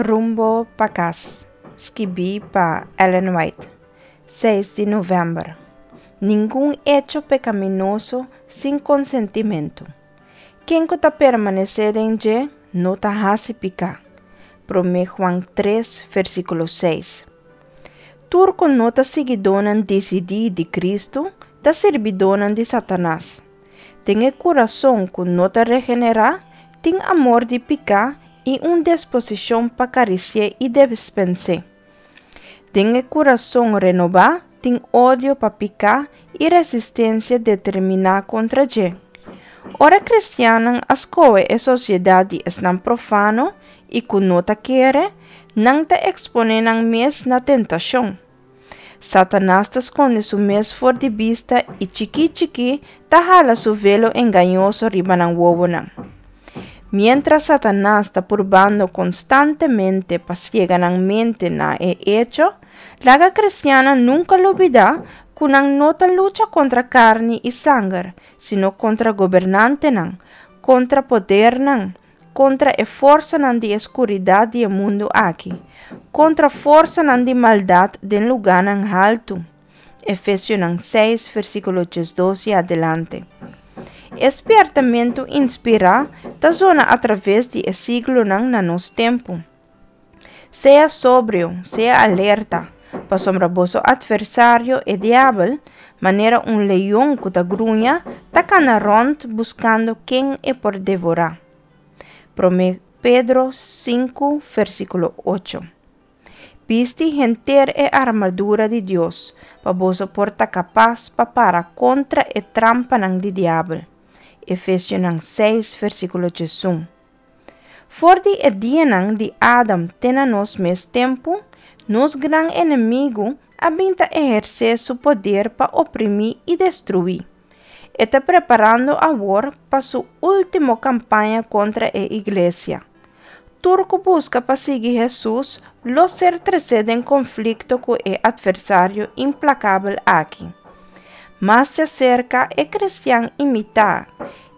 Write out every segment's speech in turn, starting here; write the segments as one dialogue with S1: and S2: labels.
S1: Rumbo pa Kas, skibí pa Ellen White, seis di novèmber. Ningun echo pekaminoso sin konsentimentu. Ken ku ta permanesé den dje no ta hasi piká. Promé Juan tres, versíkulo seis. Tur ku no ta siguidónan disidí di Kristu ta sirbidónan di Satanas. Den e kurason ku no ta regenerá tin amor di piká i un disposishon pa karisi'é i despens'é. Den e kurason renobá tin odio pa piká i resistensia determiná kontra dje. Ora kristiannan a skohe e sosiedat di esnan profano i ku no ta kere, nan ta eksponé nan mes na tentashon. Satanas ta skonde su mes for di bista i chikí chikí ta hala su velo engañoso riba nan wowonan. Miéntras Satanas ta purbando konstantemente pa siega nan mente na e echo, laga kristiannan nunka lubidá ku nan no ta lucha kontra karni i sanger, sino kontra gobernantenan, kontra podernan, kontra e forsanan di e skuridat di e mundu aki, kontra forsanan di maldat den lugánan haltu. Efesionan seis, versíkulo diesdos i adelante. E spièrtamentu inspirá ta zona atraves di e siglonan na nos tempu. Sea sobrio, sea alerta, pasobra boso atversario, e diabel, manera un leon ku ta gruña, ta kana rònt buskando ken e por devorá. Promé Pedro sinku, versíkulo ocho. Bisti henter e armadura di Dios, pa boso por ta kapas pa para kontra e trampanan di diabel. Efesionan seis, versíkulo diesun. For di e dianan di Adam te na nos mes tempu, nos gran enemigu a bin ta ehersé su poder pa oprimí i destruí. E ta preparando awor pa su último kampaña kontra e iglesia. Tur ku buska pa sigui Hesus lo ser tresé den konflikto ku e atversario implakabel aki. Mas djaserka e kristian imitá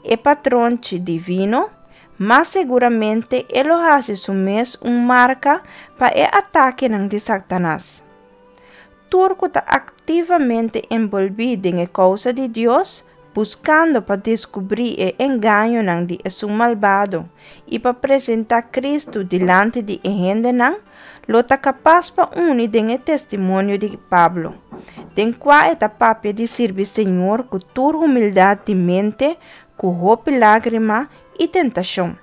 S1: e patronchi divino, mas seguramente e lo hasi su mes un marka pa e atakenan di Satanas. Tur ku ta aktivamente enbolbí den e kousa di Dios, buskando pa deskubrí e engañonan di esun malbado i pa presentá Kristu dilanti di e hendenan, lo ta kapas pa uni den e testimonio di Pablo, den kua e ta papia di sirbi Señor ku tur humildat di mente, ku hopi lágrima i tentashon.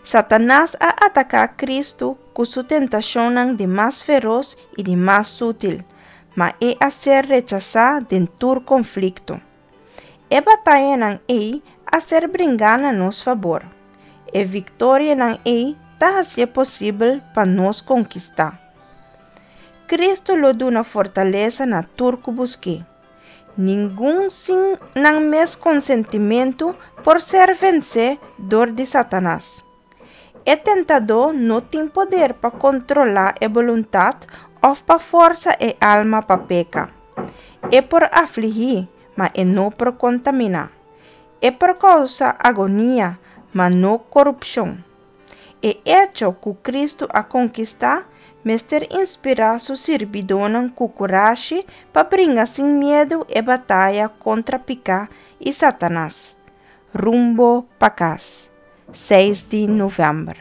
S1: Satanas a ataká Kristu ku su tentashonnan di mas feros i di mas sutil, ma e a ser rechasá den tur konflikto. E batayanan ei a ser bringá na nos fabor. E viktorianan ei ta hasié posibel pa nos konkistá. Kristu lo duna fortalesa na tur ku busk'é. Ningun sin nan mes konsentimentu por ser vensé dor di Satanas. E tentadó no tin poder pa kontrolá e boluntat òf pa forsa e alma pa peka. E por afligí, ma e no por kontaminá. E por kousa agonia, ma no korupshon. E echo ku Kristu a konkistá mester inspirá su sirbidónan ku kurashi pa bringa sin miedu e bataya kontra piká i Satanas. Rumbo pa kas, seis di novèmber.